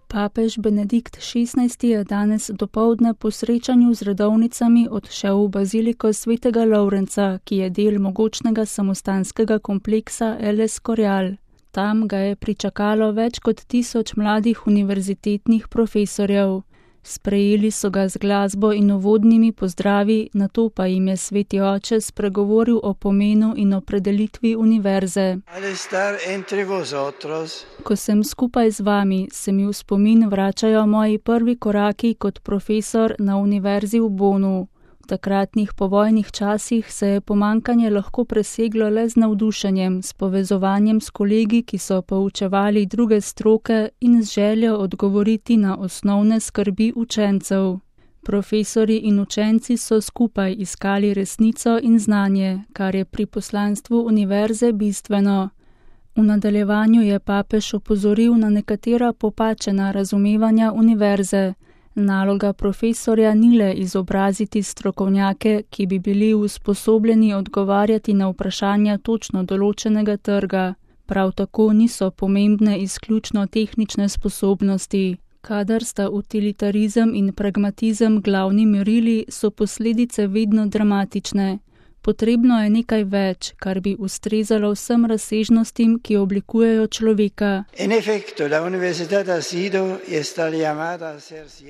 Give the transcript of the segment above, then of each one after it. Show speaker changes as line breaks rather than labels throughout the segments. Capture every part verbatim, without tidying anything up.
Papež Benedikt šestnajsti je danes dopoldne po srečanju z redovnicami odšel v baziliko svetega Lovrenca, ki je del mogočnega samostanskega kompleksa El Escorial. Tam ga je pričakalo več kot tisoč mladih univerzitetnih profesorjev. Sprejeli so ga z glasbo in uvodnimi pozdravi, nato pa jim je sveti oče spregovoril o pomenu in opredelitvi univerze. Ko sem skupaj z vami, se mi v spomin vračajo moji prvi koraki kot profesor na univerzi v Bonu. V takratnih povojnih časih se je pomankanje lahko preseglo le z navdušenjem, s povezovanjem s kolegi, ki so poučevali druge stroke in z željo odgovoriti na osnovne skrbi učencev. Profesorji in učenci so skupaj iskali resnico in znanje, kar je pri poslanstvu univerze bistveno. V nadaljevanju je papež opozoril na nekatera popačena razumevanja univerze. Naloga profesorja ni le izobraziti strokovnjake, ki bi bili usposobljeni odgovarjati na vprašanja točno določenega trga. Prav tako niso pomembne izključno tehnične sposobnosti. Kadar sta utilitarizem in pragmatizem glavni merili, so posledice vedno dramatične. Potrebno je nekaj več, kar bi ustrezalo vsem razsežnostim, ki oblikujejo človeka.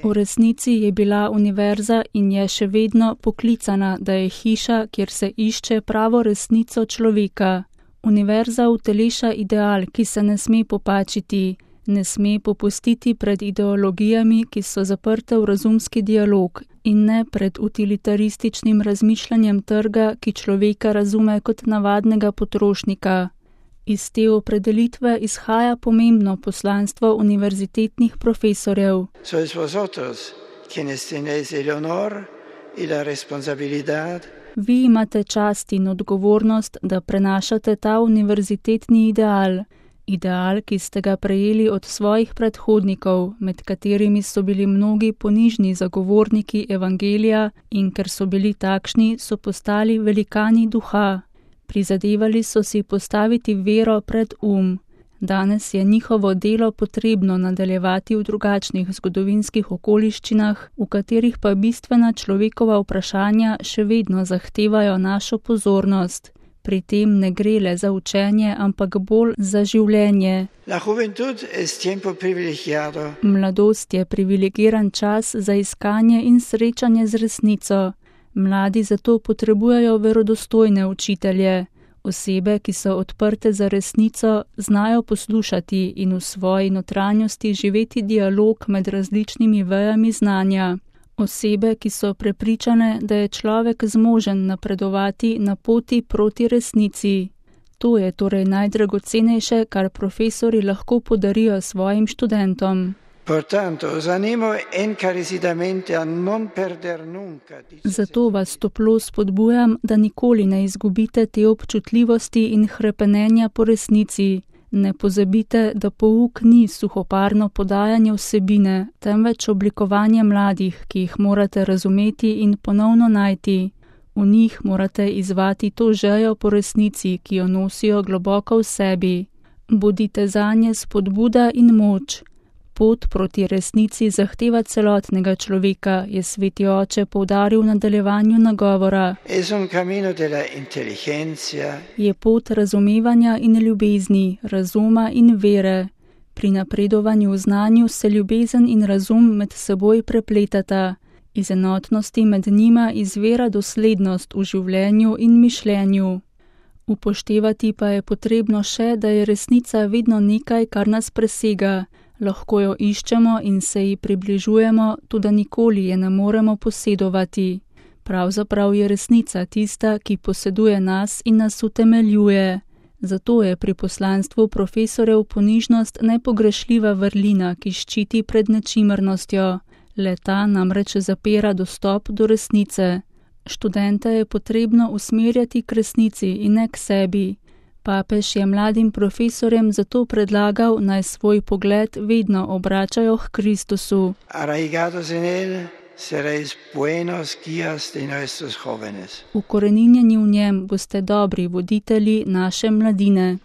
V resnici je bila univerza in je še vedno poklicana, da je hiša, kjer se išče pravo resnico človeka. Univerza uteleša ideal, ki se ne sme popačiti, ne sme popustiti pred ideologijami, ki so zaprte v razumski dialog, in ne pred utilitarističnim razmišljanjem trga, ki človeka razume kot navadnega potrošnika. Iz te opredelitve izhaja pomembno poslanstvo univerzitetnih profesorjev. Vi imate čast in odgovornost, da prenašate ta univerzitetni ideal. Ideal, ki ste ga prejeli od svojih predhodnikov, med katerimi so bili mnogi ponižni zagovorniki evangelija in ker so bili takšni, so postali velikani duha. Prizadevali so si postaviti vero pred um. Danes je njihovo delo potrebno nadaljevati v drugačnih zgodovinskih okoliščinah, v katerih pa bistvena človekova vprašanja še vedno zahtevajo našo pozornost. Pri tem ne gre le za učenje, ampak bolj za življenje. Mladost je privilegiran čas za iskanje in srečanje z resnico. Mladi zato potrebujejo verodostojne učitelje. Osebe, ki so odprte za resnico, znajo poslušati in v svoji notranjosti živeti dialog med različnimi vejami znanja. Osebe, ki so prepričane, da je človek zmožen napredovati na poti proti resnici. To je torej najdragocenejše, kar profesori lahko podarijo svojim študentom. Zato vas toplo spodbujam, da nikoli ne izgubite te občutljivosti in hrepenenja po resnici. Ne pozabite, da pouk ni suhoparno podajanje vsebine, temveč oblikovanje mladih, ki jih morate razumeti in ponovno najti. V njih morate izvati to željo po resnici, ki jo nosijo globoko v sebi. Bodite zanje spodbuda in moč. Pot proti resnici zahteva celotnega človeka, je sveti oče poudaril v nadaljevanju nagovora. Je pot razumevanja in ljubezni, razuma in vere. Pri napredovanju v znanju se ljubezen in razum med seboj prepletata. Iz enotnosti med njima izvira doslednost v življenju in mišljenju. Upoštevati pa je potrebno še, da je resnica vedno nekaj, kar nas presega. Lahko jo iščemo in se ji približujemo, tudi nikoli je ne moremo posedovati. Pravzaprav je resnica tista, ki poseduje nas in nas utemeljuje. Zato je pri poslanstvu profesorjev ponižnost nepogrešljiva vrlina, ki ščiti pred nečimrnostjo. Le-ta namreč zapira dostop do resnice. Študente je potrebno usmerjati k resnici in ne k sebi. Papež je mladim profesorjem zato predlagal, naj svoj pogled vedno obračajo k Kristusu. Ukoreninjeni v njem boste dobri voditelji naše mladine.